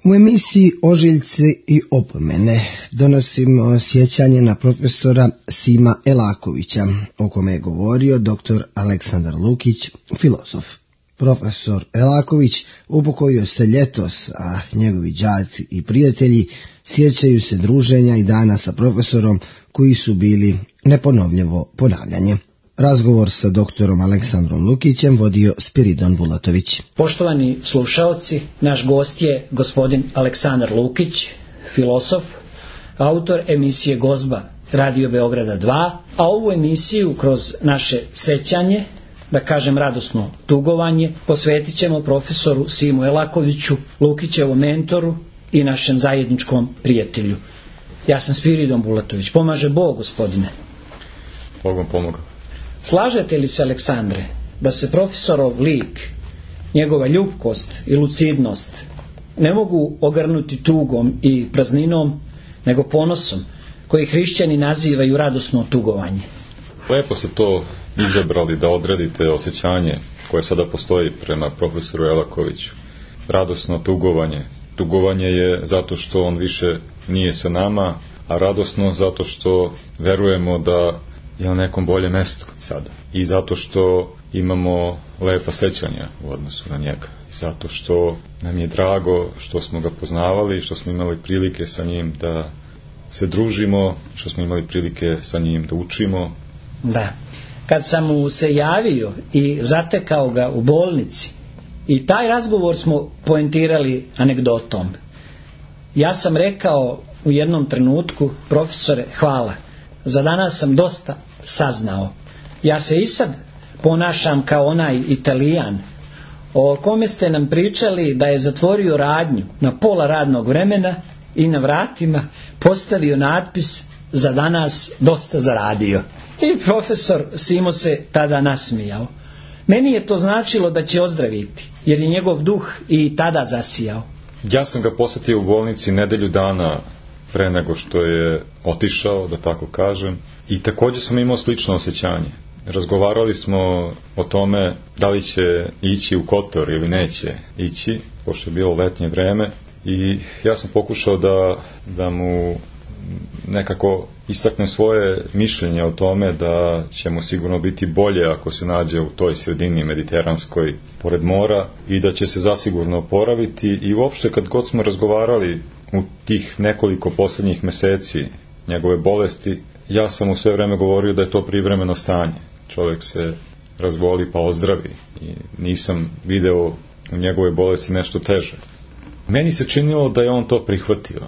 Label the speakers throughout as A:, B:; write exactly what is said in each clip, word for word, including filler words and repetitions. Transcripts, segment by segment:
A: U emisiji Ožiljci i opomene donosimo sjećanje na profesora Sima Elakovića, o kome je govorio doktor Aleksandar Lukić, filozof. Profesor Elaković upokojio se ljetos, a njegovi đaci i prijatelji sjećaju se druženja i dana sa profesorom koji su bili neponovljivo ponavljanje. Razgovor sa doktorom Aleksandrom Lukićem vodio Spiridon Bulatović.
B: Poštovani slušaoci, naš gost je gospodin Aleksandar Lukić, filozof, autor emisije Gozba Radio Beograda dva, a ovu emisiju kroz naše sećanje, da kažem radosno tugovanje, posvetit ćemo profesoru Simu Elakoviću, Lukićevom mentoru i našem zajedničkom prijatelju. Ja sam Spiridon Bulatović. Pomaže Bog, gospodine.
C: Bogom pomogao.
B: Slažete li se, Aleksandre, da se profesorov lik, njegova ljubkost i lucidnost ne mogu ogrnuti tugom i prazninom, nego ponosom, koji hrišćani nazivaju radosno tugovanje?
C: Lepo ste to izabrali da odredite osjećanje koje sada postoji prema profesoru Elakoviću. Radosno tugovanje. Tugovanje je zato što on više nije sa nama, a radosno zato što verujemo da je na nekom boljem mestu sada. I zato što imamo lepa sećanja u odnosu na njega. I zato što nam je drago što smo ga poznavali, što smo imali prilike sa njim da se družimo, što smo imali prilike sa njim da učimo.
B: Da. Kad sam mu se javio i zatekao ga u bolnici, i taj razgovor smo poentirali anegdotom. Ja sam rekao u jednom trenutku: profesore, hvala, za danas sam dosta saznao. Ja se i sad ponašam kao onaj Italijan o kome ste nam pričali da je zatvorio radnju na pola radnog vremena i na vratima postavio natpis: za danas dosta zaradio. I profesor Simo se tada nasmijao. Meni je to značilo da će ozdraviti, jer je njegov duh i tada zasijao.
C: Ja sam ga posjetio u bolnici nedelju dana pre nego što je otišao, da tako kažem, i također sam imao slično osjećanje. Razgovarali smo o tome da li će ići u Kotor ili neće ići, pošto je bilo letnje vreme, i ja sam pokušao da, da mu nekako istakne svoje mišljenje o tome da će mu sigurno biti bolje ako se nađe u toj sredini mediteranskoj pored mora i da će se zasigurno oporaviti. I uopšte kad god smo razgovarali u tih nekoliko posljednjih meseci njegove bolesti, ja sam mu sve vreme govorio da je to privremeno stanje. Čovjek se razboli pa ozdravi i nisam video u njegove bolesti nešto teže. Meni se činilo da je on to prihvatio.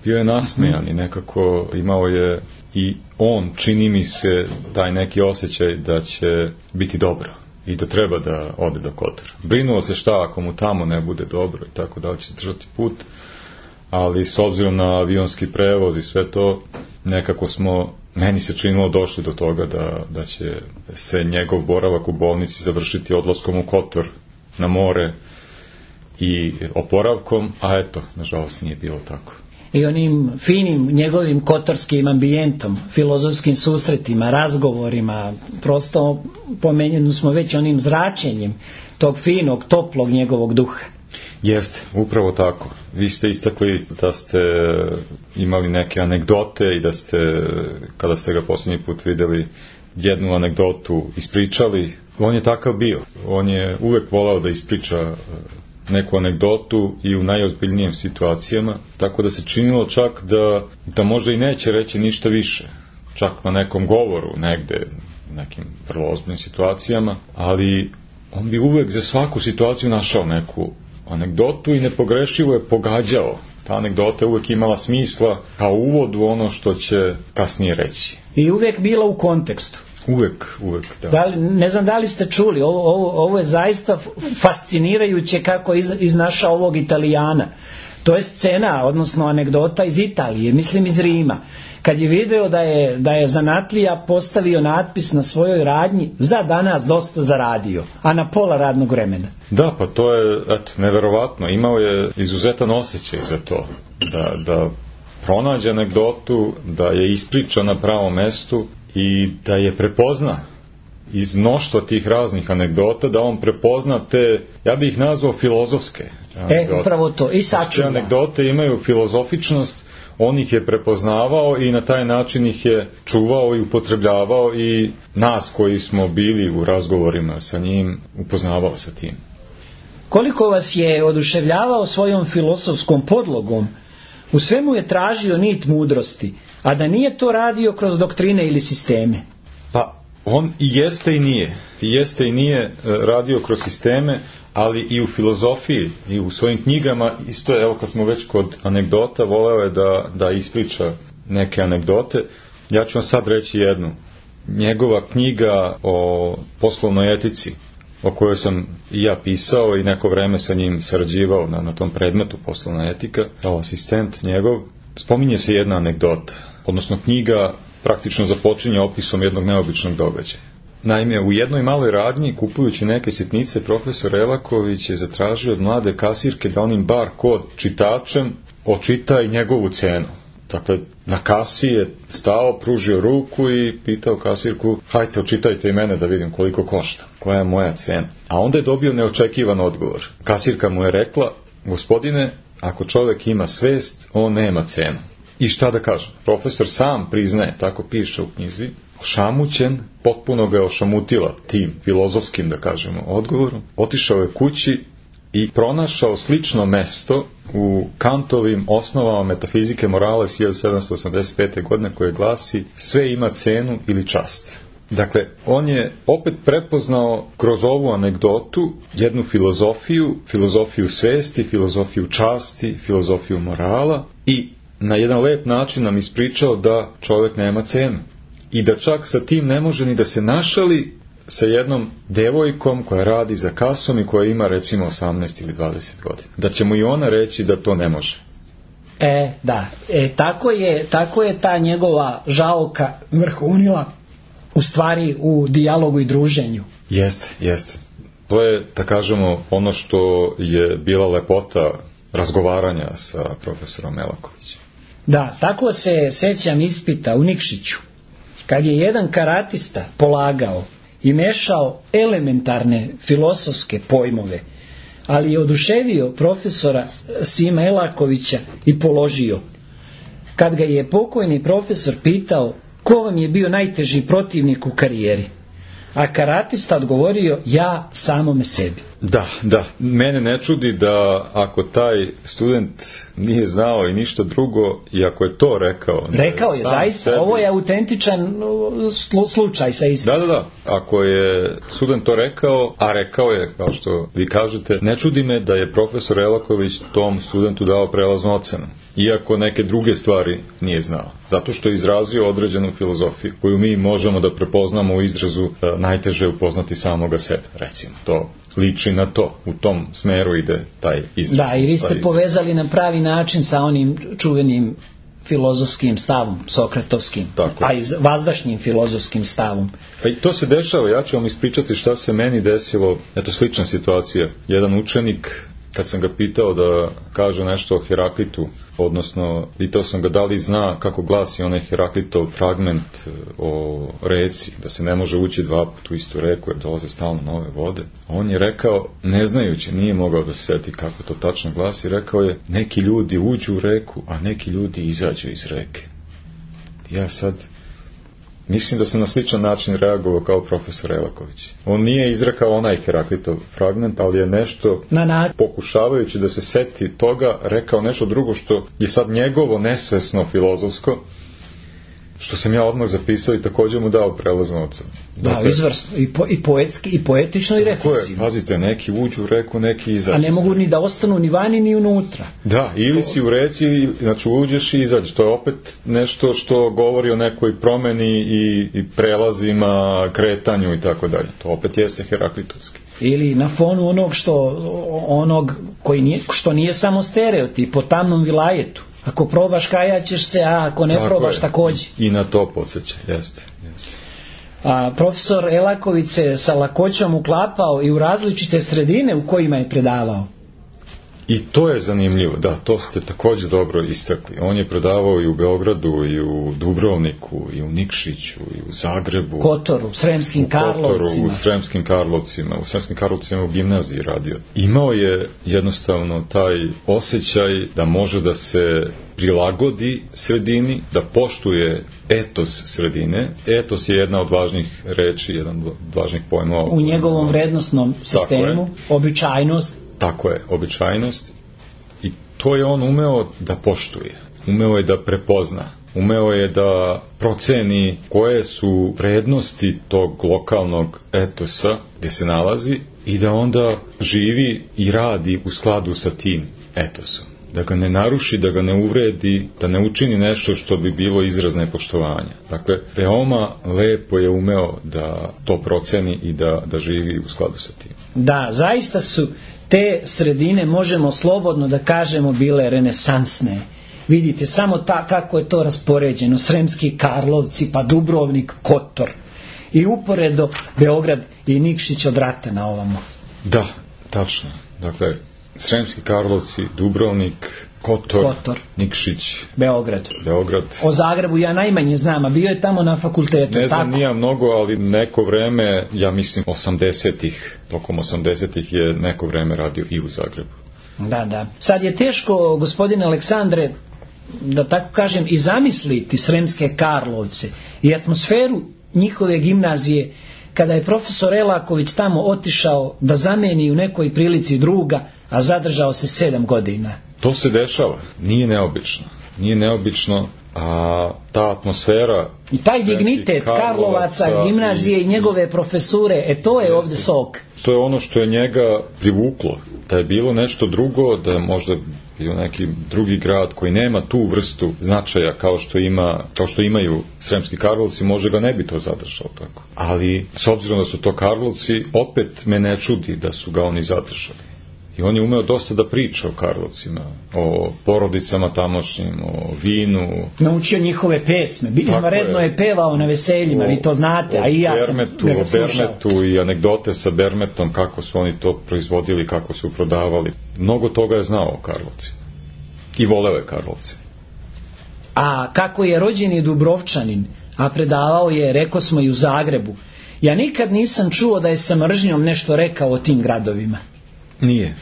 C: Bio je nasmejan i nekako imao je i on, čini mi se, taj neki osjećaj da će biti dobro i da treba da ode do Kotora. Brinuo se šta ako mu tamo ne bude dobro i tako da će držati put, ali s obzirom na avionski prevoz i sve to, nekako smo, meni se činilo, došli do toga da, da će se njegov boravak u bolnici završiti odlaskom u Kotor na more i oporavkom, a eto, nažalost nije bilo tako.
B: I onim finim njegovim kotorskim ambijentom, filozofskim susretima, razgovorima, prosto pomenjeni smo već onim zračenjem tog finog, toplog njegovog duha.
C: Jeste, upravo tako. Vi ste istakli da ste imali neke anegdote i da ste, kada ste ga posljednji put vidjeli, jednu anegdotu ispričali. On je takav bio. On je uvek volao da ispriča neku anegdotu i u najozbiljnijim situacijama, tako da se činilo čak da, da možda i neće reći ništa više, čak na nekom govoru negde, nekim vrlo ozbiljnim situacijama, ali on bi uvek za svaku situaciju našao neku anegdotu i nepogrešivo je pogađao. Ta anegdota je uvek imala smisla kao uvod u ono što će kasnije reći.
B: I uvek bila u kontekstu.
C: Uvek, uvek, da.
B: Da li, ne znam da li ste čuli, ovo, ovo, ovo je zaista fascinirajuće kako iz, iznašao ovog Italijana. To je scena, odnosno anegdota iz Italije, mislim iz Rima. Kad je video da je, da je zanatlija postavio natpis na svojoj radnji: za danas dosta zaradio, a na pola radnog vremena.
C: Da, pa to je, eto, neverovatno. Imao je izuzetan osjećaj za to. Da, da pronađe anegdotu, da je ispriča na pravom mestu i da je prepozna iz mnoštva tih raznih anegdota da on prepozna te, ja bih ih nazvao filozofske anegdote.
B: E, upravo to, i sačuva.
C: Te anegdote imaju filozofičnost, on ih je prepoznavao i na taj način ih je čuvao i upotrebljavao i nas koji smo bili u razgovorima sa njim upoznavao sa tim.
B: Koliko vas je oduševljavao svojom filozofskom podlogom, u svemu je tražio nit mudrosti, a da nije to radio kroz doktrine ili sisteme.
C: Pa on i jeste i nije. I jeste i nije radio kroz sisteme, ali i u filozofiji i u svojim knjigama isto je, evo kad smo već kod anegdota, voleo je da, da ispriča neke anegdote. Ja ću vam sad reći jednu. Njegova knjiga o poslovnoj etici, o kojoj sam i ja pisao i neko vreme sa njim sarađivao na, na tom predmetu poslovna etika, kao asistent njegov, spominje se jedna anegdota, odnosno knjiga praktično započinje opisom jednog neobičnog događaja. Naime, u jednoj maloj radnji, kupujući neke sitnice, profesor Elaković je zatražio od mlade kasirke da onim bar kod čitačem očita i njegovu cenu. Dakle, na kasi je stao, pružio ruku i pitao kasirku, hajte, očitajte i mene da vidim koliko košta, koja je moja cena. A onda je dobio neočekivan odgovor. Kasirka mu je rekla, gospodine, ako čovjek ima svest, on nema cenu. I šta da kažem? Profesor sam priznaje, tako piše u knjizi, ošamućen, potpuno ga je ošamutila tim filozofskim, da kažemo, odgovorom. Otišao je kući i pronašao slično mesto u Kantovim osnovama metafizike morala iz hiljadu sedamsto osamdeset pete. godine koje glasi sve ima cenu ili čast. Dakle, on je opet prepoznao kroz ovu anegdotu jednu filozofiju, filozofiju svesti, filozofiju časti, filozofiju morala i na jedan lep način nam ispričao da čovjek nema cenu. I da čak sa tim ne može ni da se našali sa jednom devojkom koja radi za kasom i koja ima recimo osamnaest ili dvadeset godina. Da će mu i ona reći da to ne može.
B: E, da. E, tako je, tako je ta njegova žaoka vrhunila u stvari u dijalogu i druženju.
C: Jeste, jeste. To je, da kažemo, ono što je bila lepota razgovaranja sa profesorom Elakovićem.
B: Da, tako se sećam ispita u Nikšiću. Kad je jedan karatista polagao i mešao elementarne filozofske pojmove, ali je oduševio profesora Sima Elakovića i položio. Kad ga je pokojni profesor pitao ko vam je bio najteži protivnik u karijeri, a karatista odgovorio ja samome sebi.
C: Da, da, mene ne čudi da ako taj student nije znao i ništa drugo i ako je to rekao.
B: Rekao je, zaista, sebi, ovo je autentičan slučaj sa ispitom.
C: Da, da, da, ako je student to rekao, a rekao je, kao što vi kažete, ne čudi me da je profesor Elaković tom studentu dao prelaznu ocenu, iako neke druge stvari nije znao. Zato što je izrazio određenu filozofiju koju mi možemo da prepoznamo u izrazu najteže upoznati samoga sebe, recimo. To liči na to, u tom smeru ide taj izraz.
B: Da, i vi ste povezali na pravi način sa onim čuvenim filozofskim stavom, sokratovskim,
C: tako,
B: a i vazdašnjim filozofskim stavom.
C: Pa i to se dešava, ja ću vam ispričati šta se meni desilo, eto slična situacija. Jedan učenik, kad sam ga pitao da kaže nešto o Heraklitu, odnosno pitao sam ga da li zna kako glasi onaj Heraklitov fragment o reci, da se ne može ući dva put u istu reku jer dolaze stalno nove vode. A on je rekao, ne znajući, nije mogao da se seti kako to tačno glasi, rekao je, neki ljudi uđu u reku, a neki ljudi izađu iz reke. Ja sad mislim da sam na sličan način reagovao kao profesor Elaković. On nije izrekao onaj Heraklitov fragment, ali je nešto,
B: na, na.
C: pokušavajući da se seti toga, rekao nešto drugo što je sad njegovo nesvesno filozofsko, što sam ja odmah zapisao i također mu dao prelaznu ocenu.
B: Da, dakle, izvrsno. I, po, i poetski, i poetično, i refleksivno.
C: Pazite, neki uđu u reku, neki izađu.
B: A ne mogu ni da ostanu ni vani, ni unutra.
C: Da, ili to si u reci, znači uđeš i izađeš. To je opet nešto što govori o nekoj promeni i, i prelazima, kretanju i tako dalje. To opet jeste heraklitovski.
B: Ili na fonu onog što, onog koji nije, što nije samo stereotip, po tamnom vilajetu. Ako probaš, kajaćeš se, a ako ne tako probaš, također.
C: I na to podsjeća, jeste. jeste.
B: A profesor Elaković se sa lakoćom uklapao i u različite sredine u kojima je predavao.
C: I to je zanimljivo, da, to ste također dobro istakli. On je predavao i u Beogradu, i u Dubrovniku, i u Nikšiću, i u Zagrebu.
B: Kotoru, Sremskim Karlovcima.
C: U Sremskim Karlovcima, u Sremskim Karlovcima u gimnaziji radio. Imao je jednostavno taj osjećaj da može da se prilagodi sredini, da poštuje etos sredine. Etos je jedna od važnih reči, jedan od važnih pojmova.
B: U njegovom vrednosnom sistemu, običajnost.
C: Tako je, običajnost. I to je on umeo da poštuje. Umeo je da prepozna. Umeo je da proceni koje su vrednosti tog lokalnog etosa gdje se nalazi i da onda živi i radi u skladu sa tim etosom. Da ga ne naruši, da ga ne uvredi, da ne učini nešto što bi bilo izraz nepoštovanja. Dakle, veoma lepo je umeo da to proceni i da, da živi u skladu sa tim.
B: Da, zaista su te sredine, možemo slobodno da kažemo, bile renesansne. Vidite samo ta, kako je to raspoređeno. Sremski Karlovci, pa Dubrovnik, Kotor. I uporedo Beograd i Nikšić od rata na ovamo.
C: Da, tačno. Dakle, Sremski Karlovci, Dubrovnik, Kotor,
B: Kotor.
C: Nikšić,
B: Beograd.
C: Beograd.
B: O Zagrebu ja najmanje znam, a bio je tamo na fakultetu.
C: Ne znam
B: tako?
C: nija mnogo, ali neko vreme, ja mislim osamdesetih, tokom osamdesetih je neko vreme radio i u Zagrebu.
B: Da, da. Sad je teško, gospodine Aleksandre, da tako kažem, i zamisliti Sremske Karlovce i atmosferu njihove gimnazije kada je profesor Elaković tamo otišao da zameni u nekoj prilici druga, a zadržao se sedam godina.
C: To se dešava, nije neobično. Nije neobično, a ta atmosfera
B: i taj dignitet Karlovaca, gimnazije i, i njegove profesure, e to je ovdje sok.
C: To je ono što je njega privuklo. Da je bilo nešto drugo, da je možda bio neki drugi grad koji nema tu vrstu značaja kao što ima, kao što imaju Sremski Karlovci, može ga ne bi to zadržao tako. Ali s obzirom da su to Karlovci, opet me ne čudi da su ga oni zadržali. I on je umeo dosta da priča o Karlovcima, o porodicama tamošnjim, o vinu.
B: Naučio njihove pesme. Izvanredno je, je pevao na veseljima, o, vi to znate, a i ja
C: Bermetu,
B: sam ga slušao.
C: O Bermetu i anegdote sa Bermetom, kako su oni to proizvodili, kako su prodavali. Mnogo toga je znao o Karlovcima. I voleo je Karlovce.
B: A kako je rođeni Dubrovčanin, a predavao je, reko smo, i u Zagrebu, ja nikad nisam čuo da je sa mržnjom nešto rekao o tim gradovima.
C: Nije.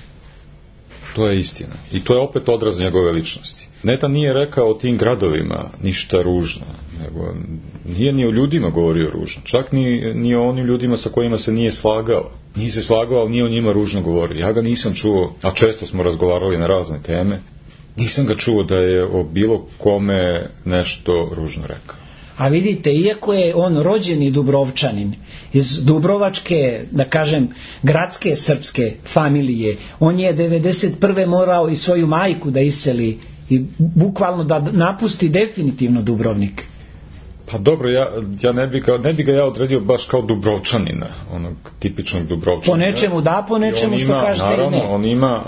C: To je istina. I to je opet odraz njegove ličnosti. Neta nije rekao o tim gradovima ništa ružno, nego nije ni o ljudima govorio ružno. Čak ni, ni o onim ljudima sa kojima se nije slagao. Nije se slagao, ali nije o njima ružno govorio. Ja ga nisam čuo, a često smo razgovarali na razne teme, nisam ga čuo da je o bilo kome nešto ružno rekao.
B: A vidite, iako je on rođeni Dubrovčanin, iz Dubrovačke, da kažem, gradske srpske familije, on je devedeset prve morao i svoju majku da iseli i bukvalno da napusti definitivno Dubrovnik.
C: Pa dobro, ja, ja ne, bi ga, ne bi ga ja odredio baš kao Dubrovčanina, onog tipičnog Dubrovčanina.
B: Po nečemu da, po nečemu što kažete
C: naravno,
B: i ne.
C: On ima,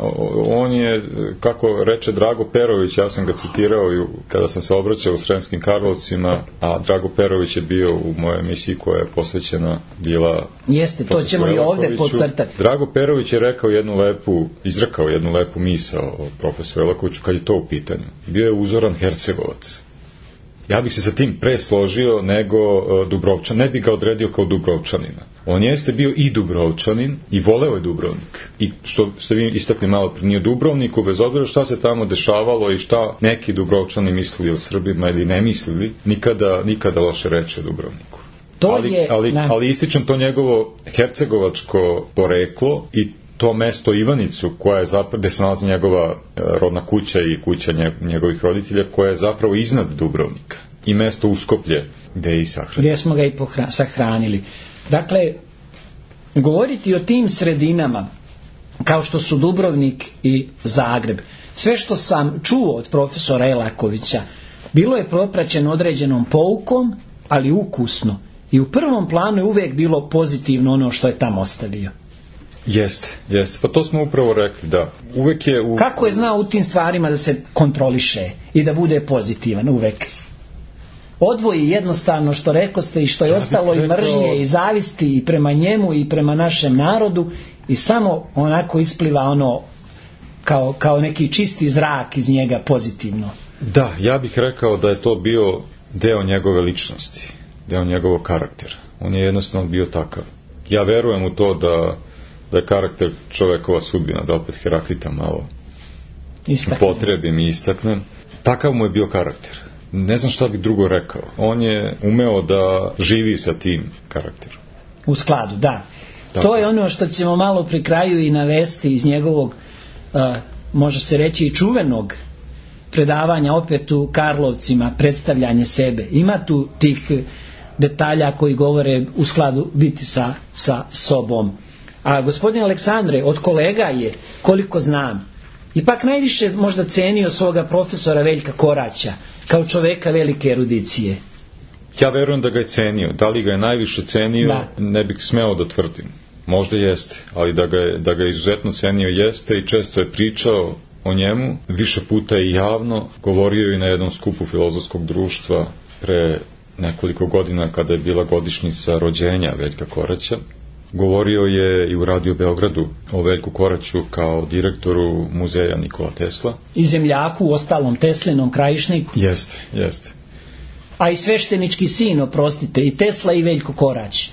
C: on je, kako reče Drago Perović, ja sam ga citirao i kada sam se obraćao u Sremskim Karlovcima, a Drago Perović je bio u mojoj emisiji koja je posvećena bila...
B: Jeste, to ćemo i ovdje podcrtati.
C: Drago Perović je rekao jednu lepu, izrekao jednu lepu misao o profesoru Elakoviću kad je to u pitanju. Bio je uzoran Hercegovac. Ja bih se sa tim pre složio nego uh, Dubrovčan, ne bih ga odredio kao Dubrovčanina. On jeste bio i Dubrovčanin i voleo je Dubrovnik. I što ste vi istakli malo prije, nije Dubrovniku, bez obzira šta se tamo dešavalo i šta neki Dubrovčani mislili o Srbima ili ne mislili, nikada, nikada loše reče o Dubrovniku.
B: To
C: ali,
B: je,
C: ali, ali ističem to njegovo hercegovačko poreklo i to mesto Ivanicu, koja je zapravo, gde se nalazi njegova rodna kuća i kuća njegovih roditelja, koja je zapravo iznad Dubrovnika. I mesto Uskoplje, gde je i sahranili.
B: Gdje smo ga i pohra- sahranili. Dakle, govoriti o tim sredinama, kao što su Dubrovnik i Zagreb, sve što sam čuo od profesora Elakovića, bilo je propraćeno određenom poukom, ali ukusno. I u prvom planu je uvijek bilo pozitivno ono što je tamo ostavio.
C: Jeste, jeste. Pa to smo upravo rekli, da. Uvek je... U...
B: Kako je znao u tim stvarima da se kontroliše i da bude pozitivan uvek? Odvoji jednostavno što rekoste i što je ja ostalo rekao... i mržnje i zavisti i prema njemu i prema našem narodu i samo onako ispliva ono kao, kao neki čisti zrak iz njega pozitivno.
C: Da, ja bih rekao da je to bio deo njegove ličnosti, deo njegovog karaktera. On je jednostavno bio takav. Ja verujem u to da, da je karakter čovekova sudbina, da opet Heraklita malo istaknem. potrebim i istaknem. Takav mu je bio karakter. Ne znam šta bih drugo rekao. On je umeo da živi sa tim karakterom.
B: U skladu, da.
C: Tako.
B: To je ono što ćemo malo pri kraju i navesti iz njegovog, uh, može se reći i čuvenog predavanja opet u Karlovcima, predstavljanje sebe. Ima tu tih detalja koji govore u skladu biti sa, sa sobom. A gospodin Aleksandre, od kolega je, koliko znam, ipak najviše možda cenio svoga profesora Veljka Koraća, kao čoveka velike erudicije.
C: Ja verujem da ga je cenio. Da li ga je najviše cenio, da. Ne bih smeo da tvrdim. Možda jeste, ali da ga je, da ga je izuzetno cenio jeste i često je pričao o njemu, više puta i javno, govorio i na jednom skupu Filozofskog društva pre nekoliko godina kada je bila godišnjica rođenja Veljka Koraća. Govorio je i u Radio Beogradu o Veljku Koraću kao direktoru muzeja Nikola Tesla.
B: I zemljaku, u ostalom Teslinom krajišniku.
C: Jeste, jeste.
B: A i sveštenički sin, oprostite, i Tesla i Veljko Korać.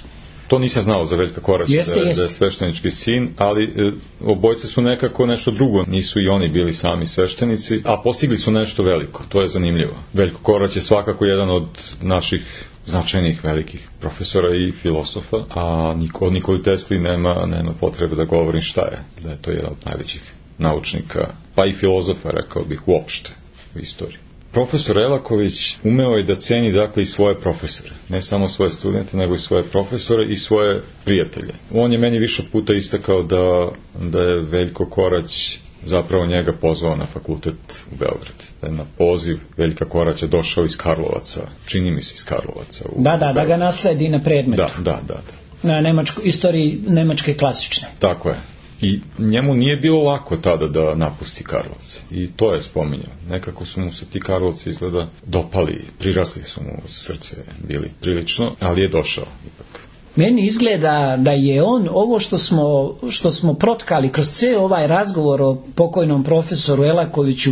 C: To nisam znao za Veljka Koraća,
B: jeste,
C: da,
B: jeste.
C: da je sveštenički sin, ali e, obojce su nekako nešto drugo. Nisu i oni bili sami sveštenici, a postigli su nešto veliko. To je zanimljivo. Veljko Korać je svakako jedan od naših značajnih velikih profesora i filosofa, a Niko, Nikoli Tesli nema, nema potrebe da govorim šta je. Da je to jedan od najvećih naučnika, pa i filozofa, rekao bih, uopšte u istoriji. Profesor Elaković umeo je da ceni dakle i svoje profesore, ne samo svoje studente, nego i svoje profesore i svoje prijatelje. On je meni više puta istakao da, da je Veljko Korać zapravo njega pozvao na fakultet u Beograd. Da je na poziv Veljka Koraća došao iz Karlovaca, čini mi se iz Karlovaca. U,
B: da, da,
C: u
B: da ga nasledi na predmetu.
C: Da, da, da. da.
B: Na nemačku, istoriji nemačke klasične.
C: Tako je. I njemu nije bilo lako tada da napusti Karlovce. I to je spominjao. Nekako su mu se ti Karlovci izgleda dopali, prirasli su mu u srce bili prilično, ali je došao ipak.
B: Meni izgleda da je on ovo što smo, što smo protkali kroz cijel ovaj razgovor o pokojnom profesoru Elakoviću,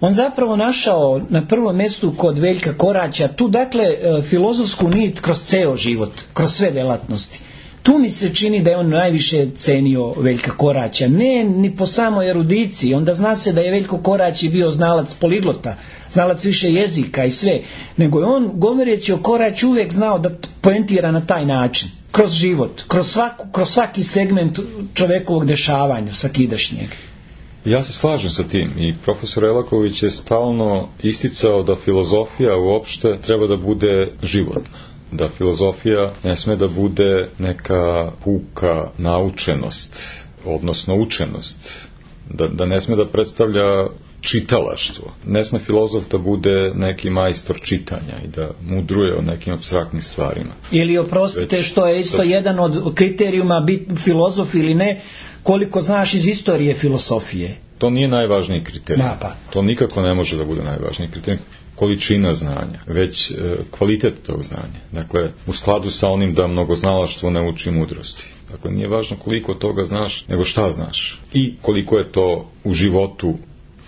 B: on zapravo našao na prvom mjestu kod Veljka Koraća tu dakle filozofsku nit kroz ceo život, kroz sve delatnosti. Tu mi se čini da je on najviše cenio Veljka Koraća, ne ni po samoj erudiciji, onda zna se da je Veljko Korać bio znalac poliglota, znalac više jezika i sve, nego je on, govoreći o Koraću, uvijek znao da poentira na taj način, kroz život, kroz, svaku, kroz svaki segment čovekovog dešavanja svakidašnjeg.
C: Ja se slažem sa tim i profesor Elaković je stalno isticao da filozofija uopšte treba da bude životna. Da filozofija ne sme da bude neka puka naučenost, odnosno učenost. Da, da ne sme da predstavlja čitalaštvo. Ne sme filozof da bude neki majstor čitanja i da mudruje o nekim apstraktnim stvarima.
B: Ili oprostite, Već, što je isto da, jedan od kriterijuma biti filozof ili ne, koliko znaš iz istorije filosofije.
C: To nije najvažniji kriterij.
B: Da, pa.
C: To nikako ne može da bude najvažniji kriterij. Količina znanja, već e, kvalitet tog znanja. Dakle, u skladu sa onim da mnogoznalaštvo ne uči mudrosti. Dakle, nije važno koliko toga znaš, nego šta znaš. I koliko je to u životu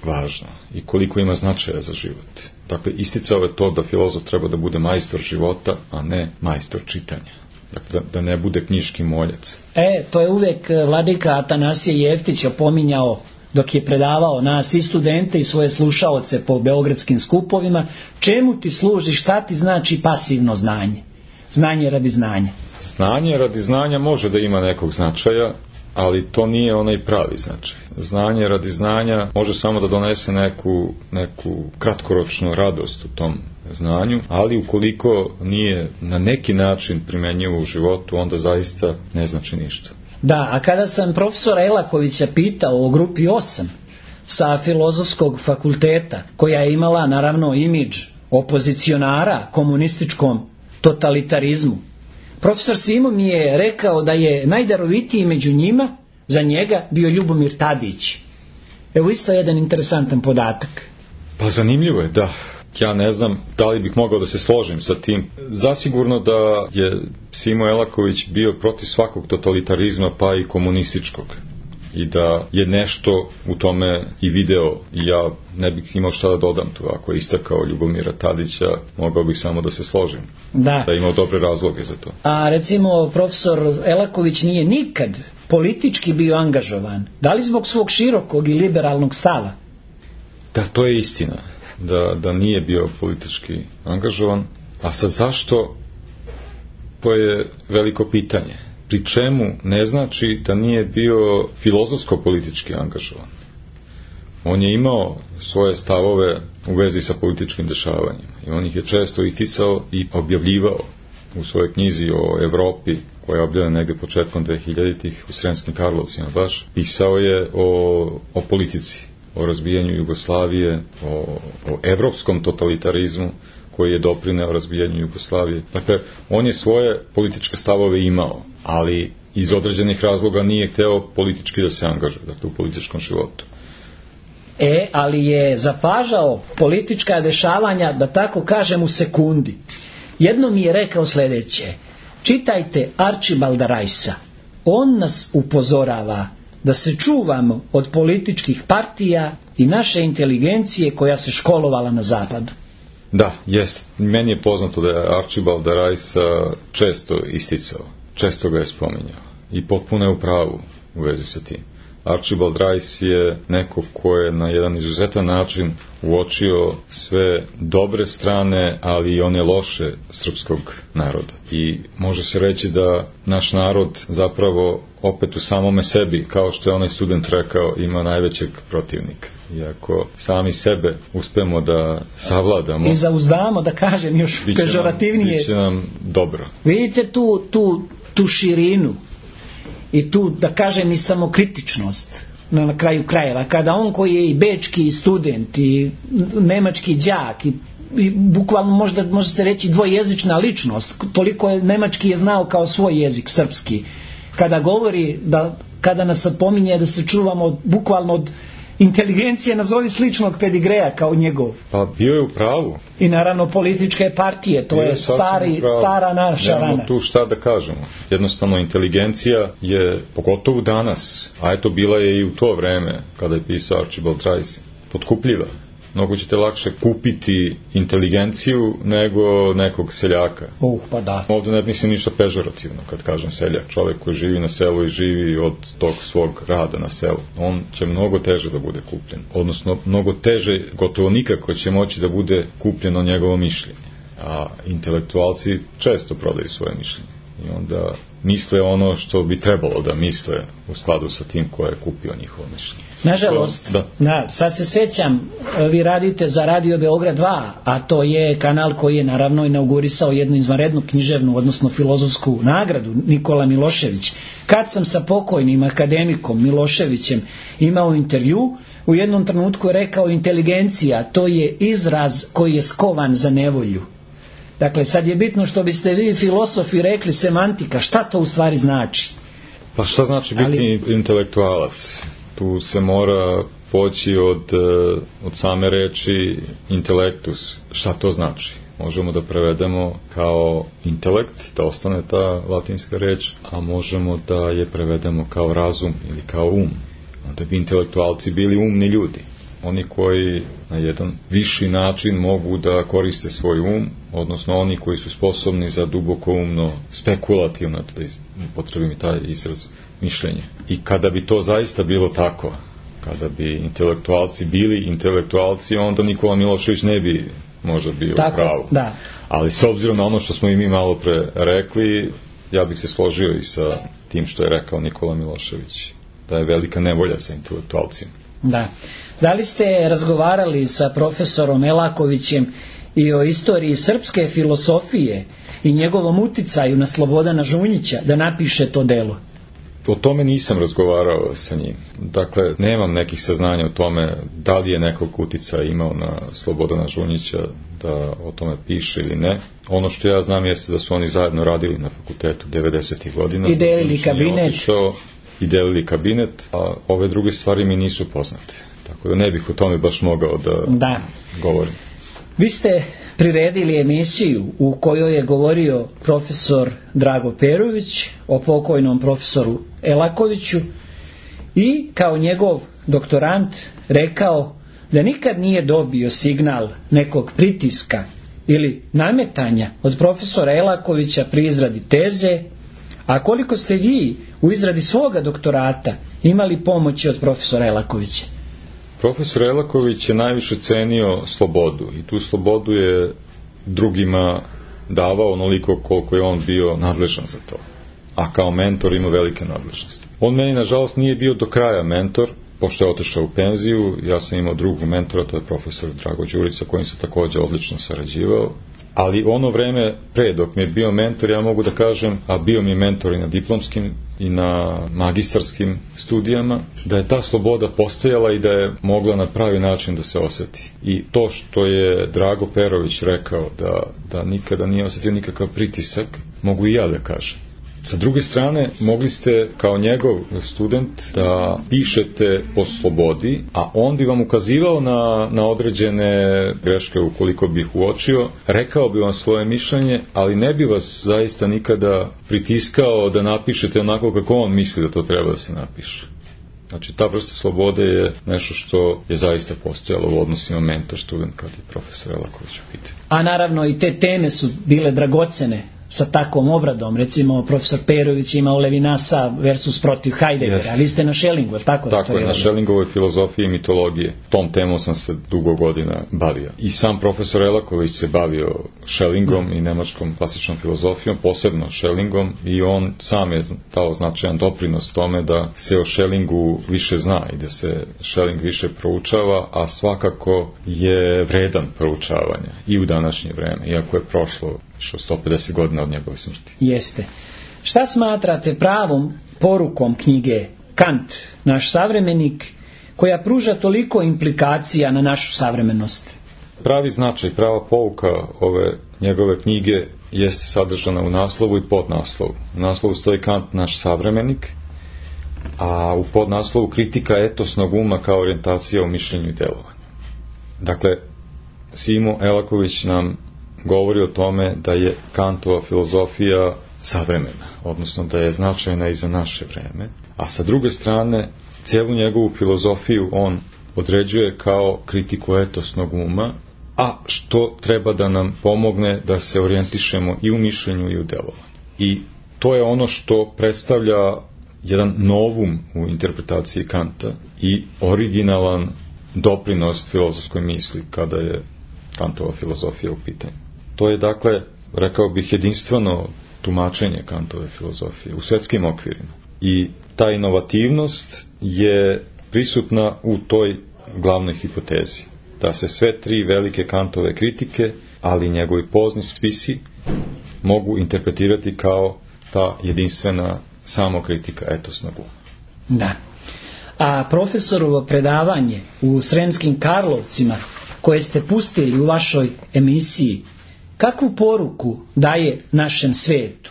C: važno. I koliko ima značaja za život. Dakle, isticao je to da filozof treba da bude majstor života, a ne majstor čitanja. Dakle, da, da ne bude knjiški moljac.
B: E, to je uvijek vladika Atanasije Jeftić opominjao dok je predavao nas i studente i svoje slušaoce po beogradskim skupovima, čemu ti služi, šta ti znači pasivno znanje? Znanje radi znanja.
C: Znanje radi znanja može da ima nekog značaja, ali to nije onaj pravi značaj. Znanje radi znanja može samo da donese neku, neku kratkoročnu radost u tom znanju, ali ukoliko nije na neki način primenjivo u životu, onda zaista ne znači ništa.
B: Da, a kada sam profesora Elakovića pitao o grupi osam sa filozofskog fakulteta, koja je imala naravno imidž opozicionara komunističkom totalitarizmu, profesor Simo mi je rekao da je najdarovitiji među njima za njega bio Ljubomir Tadić. Evo isto jedan interesantan podatak.
C: Pa zanimljivo je, da. Ja ne znam da li bih mogao da se složim sa tim. Zasigurno da je Simo Elaković bio protiv svakog totalitarizma, pa i komunističkog. i da je nešto u tome i video i ja ne bih imao šta da dodam tu. Ako je istakao Ljubomira Tadića, mogao bih samo da se složim.
B: Da.
C: Da je imao dobre razloge za to.
B: A recimo profesor Elaković nije nikad politički bio angažovan. Da li zbog svog širokog i liberalnog stava?
C: Da, to je istina. Da, da nije bio politički angažovan. A sad zašto? To je veliko pitanje. Pri čemu ne znači da nije bio filozofsko-politički angažovan. On je imao svoje stavove u vezi sa političkim dešavanjima i on ih je često isticao i objavljivao u svojoj knjizi o Evropi, koja je objavljena negde početkom dvehiljaditih u Sremskim Karlovcima baš. Pisao je o, o politici, o razbijanju Jugoslavije, o, o evropskom totalitarizmu koji je doprineo razbijanju Jugoslavije. Dakle, on je svoje političke stavove imao, ali iz određenih razloga nije hteo politički da se angažuje, dakle, u političkom životu.
B: E, ali je zapažao politička dešavanja, da tako kažem, u sekundi. Jedno mi je rekao sljedeće: čitajte Arčibalda Rajsa. On nas upozorava da se čuvamo od političkih partija i naše inteligencije koja se školovala na zapadu.
C: Da, jest. Meni je poznato da je Arčibalda Rajsa često isticao, često ga je spominjao i potpuno je u pravu u vezi sa tim. Archibald Rice je neko ko je na jedan izuzetan način uočio sve dobre strane, ali i one loše srpskog naroda. I može se reći da naš narod zapravo opet u samome sebi, kao što je onaj student rekao, ima najvećeg protivnika. Iako sami sebe uspemo da savladamo
B: i zauzdamo, da kažem još pežorativnije,
C: biće nam dobro.
B: Vidite tu, tu, tu širinu i tu, da kažem, i samokritičnost na, na kraju krajeva, kada on koji je i bečki student i nemački đak i, i bukvalno možda može se reći dvojezična ličnost, toliko je nemački je znao kao svoj jezik, srpski, kada govori da, kada nas opominje da se čuvamo od, bukvalno od inteligencije, nazovi sličnog pedigreja kao njegov.
C: Pa bio je u pravu.
B: I naravno političke partije, to bio je stari, stara naša rana.
C: Nemamo tu šta da kažemo. Jednostavno inteligencija je, pogotovo danas, a eto bila je i u to vreme kada je pisao Archibald Rice, potkupljiva. Mnogo ćete lakše kupiti inteligenciju nego nekog seljaka.
B: Uh, pa da.
C: Ovdje ne mislim ništa pežorativno kad kažem seljak. Čovjek koji živi na selu i živi od tog svog rada na selu. On će mnogo teže da bude kupljen. Odnosno, mnogo teže, gotovo nikako će moći da bude kupljeno njegovo mišljenje. A intelektualci često prodaju svoje mišljenje. I onda misle ono što bi trebalo da misle u skladu sa tim ko je kupio njihovo mišljenje.
B: Nažalost,
C: da.
B: Da, sad se sećam, vi radite za Radio Beograd dva, a to je kanal koji je naravno inaugurisao jednu izvanrednu književnu, odnosno filozofsku nagradu, Nikola Milošević. Kad sam sa pokojnim akademikom Miloševićem imao intervju, u jednom trenutku je rekao: inteligencija, to je izraz koji je skovan za nevolju. Dakle, sad je bitno što biste vi filosofi rekli semantika, šta to u stvari znači?
C: Pa šta znači biti Ali... intelektualac? Tu se mora poći od, od same reči intelektus. Šta to znači? Možemo da prevedemo kao intelekt, da ostane ta latinska reč, a možemo da je prevedemo kao razum ili kao um. Onda bi intelektualci bili umni ljudi. Oni koji na jedan viši način mogu da koriste svoj um, odnosno oni koji su sposobni za duboko umno, spekulativno, da potrebim i taj izraz, mišljenje. I kada bi to zaista bilo tako, kada bi intelektualci bili intelektualci, onda Nikola Milošević ne bi možda bio
B: tako,
C: pravo.
B: Da.
C: Ali s obzirom na ono što smo i mi malo pre rekli, ja bih se složio i sa tim što je rekao Nikola Milošević, da je velika nevolja sa intelektualcima.
B: Da. Da li ste razgovarali sa profesorom Elakovićem i o istoriji srpske filosofije i njegovom uticaju na Slobodana Žunjića da napiše to delo?
C: O tome nisam razgovarao sa njim. Dakle, nemam nekih saznanja o tome da li je nekog uticaja imao na Slobodana Žunjića da o tome piše ili ne. Ono što ja znam jeste da su oni zajedno radili na fakultetu devedesetih godina.
B: I delili kabinet.
C: Otišao, I delili kabinet, a ove druge stvari mi nisu poznate. Tako da ne bih o tome baš mogao da,
B: da.
C: govorim.
B: Vi ste priredili emisiju u kojoj je govorio profesor Drago Perović o pokojnom profesoru Elakoviću i kao njegov doktorant rekao da nikad nije dobio signal nekog pritiska ili nametanja od profesora Elakovića pri izradi teze, a koliko ste vi u izradi svoga doktorata imali pomoći od profesora Elakovića?
C: Profesor Elaković je najviše cenio slobodu i tu slobodu je drugima davao onoliko koliko je on bio nadležan za to, a kao mentor ima velike nadležnosti. On meni nažalost nije bio do kraja mentor, pošto je otišao u penziju. Ja sam imao drugu mentora, to je profesor Drago Đurić, sa kojim se također odlično sarađivao. Ali ono vreme pre dok mi je bio mentor, ja mogu da kažem, a bio mi je mentor i na diplomskim i na magistarskim studijama, da je ta sloboda postojala i da je mogla na pravi način da se osjeti. I to što je Drago Perović rekao da, da nikada nije osjetio nikakav pritisak, mogu i ja da kažem. Sa druge strane, mogli ste kao njegov student da pišete po slobodi, a on bi vam ukazivao na, na određene greške ukoliko bi ih uočio, rekao bi vam svoje mišljenje, ali ne bi vas zaista nikada pritiskao da napišete onako kako on misli da to treba da se napiše. Znači, ta vrsta slobode je nešto što je zaista postojalo u odnosima mentor-student kad je profesor Elaković u pitanju.
B: A naravno i te teme su bile dragocene sa takvom obradom. Recimo, profesor Perović imao Levinasa versus protiv Heideggera, yes. A vi ste na Schellingu, je tako?
C: Tako je, na Schellingovoj filozofiji i mitologije. Tom temom sam se dugo godina bavio. I sam profesor Elaković se bavio Schellingom mm. i nemačkom klasičnom filozofijom, posebno Schellingom, i on sam je dao značajan doprinos tome da se o Schellingu više zna i da se Schelling više proučava, a svakako je vredan proučavanja i u današnje vreme, iako je prošlo što sto pedeset godina od njegove smrti.
B: Jeste. Šta smatrate pravom porukom knjige Kant, naš savremenik, koja pruža toliko implikacija na našu savremenost?
C: Pravi značaj, prava pouka ove njegove knjige jeste sadržana u naslovu i podnaslovu. U naslovu stoji Kant, naš savremenik, a u podnaslovu kritika etosnog uma kao orijentacija u mišljenju i delovanju. Dakle, Simo Elaković nam govori o tome da je Kantova filozofija savremena, odnosno da je značajna i za naše vreme, a sa druge strane cijelu njegovu filozofiju on određuje kao kritiku etosnog uma, a što treba da nam pomogne da se orijentišemo i u mišljenju i u delovanju. I to je ono što predstavlja jedan novum u interpretaciji Kanta i originalan doprinos filozofskoj misli kada je Kantova filozofija u pitanju. To je, dakle, rekao bih, jedinstveno tumačenje Kantove filozofije u svetskim okvirima. I ta inovativnost je prisutna u toj glavnoj hipotezi. Da se sve tri velike Kantove kritike, ali njegovi pozni spisi, mogu interpretirati kao ta jedinstvena samokritika etosnog uma.
B: Da. A profesorovo predavanje u Sremskim Karlovcima, koje ste pustili u vašoj emisiji, kakvu poruku daje našem svetu?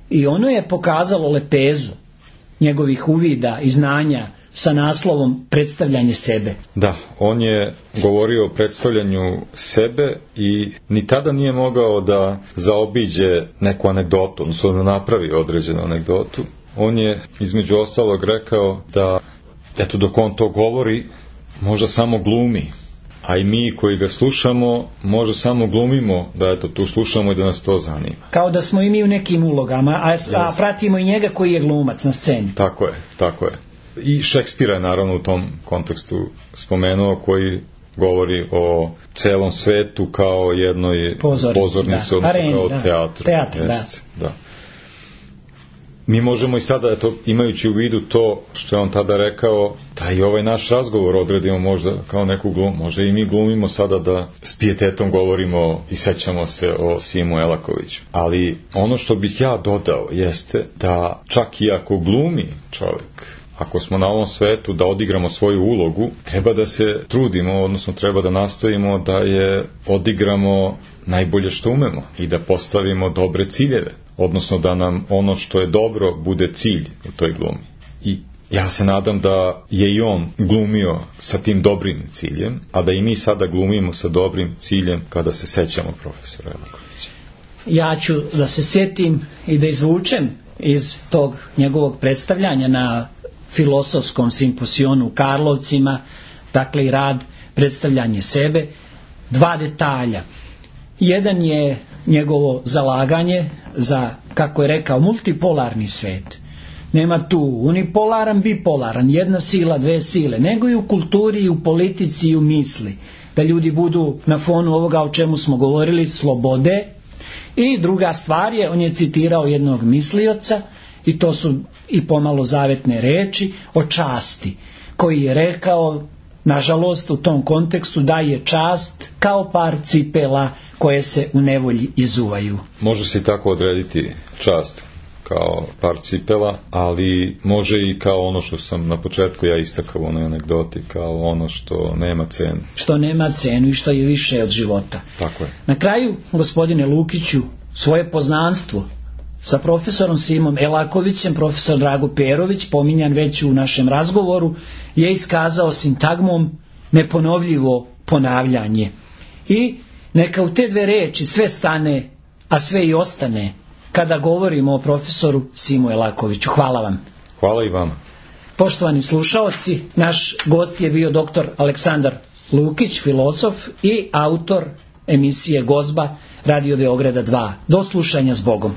B: I ono je pokazalo lepezu njegovih uvida i znanja sa naslovom predstavljanje sebe.
C: Da, on je govorio o predstavljanju sebe i ni tada nije mogao da zaobiđe neku anegdotu, odnosno da napravi određenu anegdotu. On je između ostalog rekao da, eto, dok on to govori, možda samo glumi, a i mi koji ga slušamo možda samo glumimo da eto tu slušamo i da nas to zanima.
B: Kao da smo i mi u nekim ulogama, a, a pratimo i njega koji je glumac na sceni.
C: Tako je, tako je. I Šekspira je naravno u tom kontekstu spomenuo, koji govori o celom svetu kao jednoj pozornici, pozornici odnosno Areni, kao da. teatru.
B: Teatr, da.
C: da. Mi možemo i sada, eto, imajući u vidu to što je on tada rekao, da i ovaj naš razgovor odredimo možda kao neku glumu, možda i mi glumimo sada da s pijetetom govorimo i sećamo se o Simu Elakoviću. Ali ono što bih ja dodao jeste da čak i ako glumi čovjek, ako smo na ovom svetu da odigramo svoju ulogu, treba da se trudimo, odnosno treba da nastojimo da je odigramo najbolje što umemo i da postavimo dobre ciljeve, odnosno da nam ono što je dobro bude cilj u toj glumi. I ja se nadam da je i on glumio sa tim dobrim ciljem, a da i mi sada glumimo sa dobrim ciljem kada se sećamo profesora Elakovića.
B: Ja ću da se sjetim i da izvučem iz tog njegovog predstavljanja na filosofskom simposionu u Karlovcima, dakle i rad, predstavljanje sebe, dva detalja. Jedan je njegovo zalaganje za, kako je rekao, multipolarni svet. Nema tu unipolaran, bipolaran, jedna sila, dve sile, nego i u kulturi, i u politici, i u misli. Da ljudi budu na fonu ovoga o čemu smo govorili, slobode. I druga stvar je, on je citirao jednog mislioca, i to su i pomalo zavetne reči, o časti, koji je rekao, nažalost u tom kontekstu, da je čast kao par cipela koje se u nevolji izuvaju.
C: Može se i tako odrediti čast kao par cipela, ali može i kao ono što sam na početku ja istakao u onoj anegdoti, kao ono što nema cenu.
B: Što nema cenu i što je više od života.
C: Tako je.
B: Na kraju, gospodine Lukiću, svoje poznanstvo sa profesorom Simom Elakovićem, profesor Drago Perović, pominjan već u našem razgovoru, je iskazao sintagmom neponovljivo ponavljanje. I neka u te dve reči sve stane, a sve i ostane, kada govorimo o profesoru Simu Elakoviću. Hvala vam.
C: Hvala i vama.
B: Poštovani slušaoci, naš gost je bio doktor Aleksandar Lukić, filozof i autor emisije Gozba Radio Beograda dva. Do slušanja s Bogom.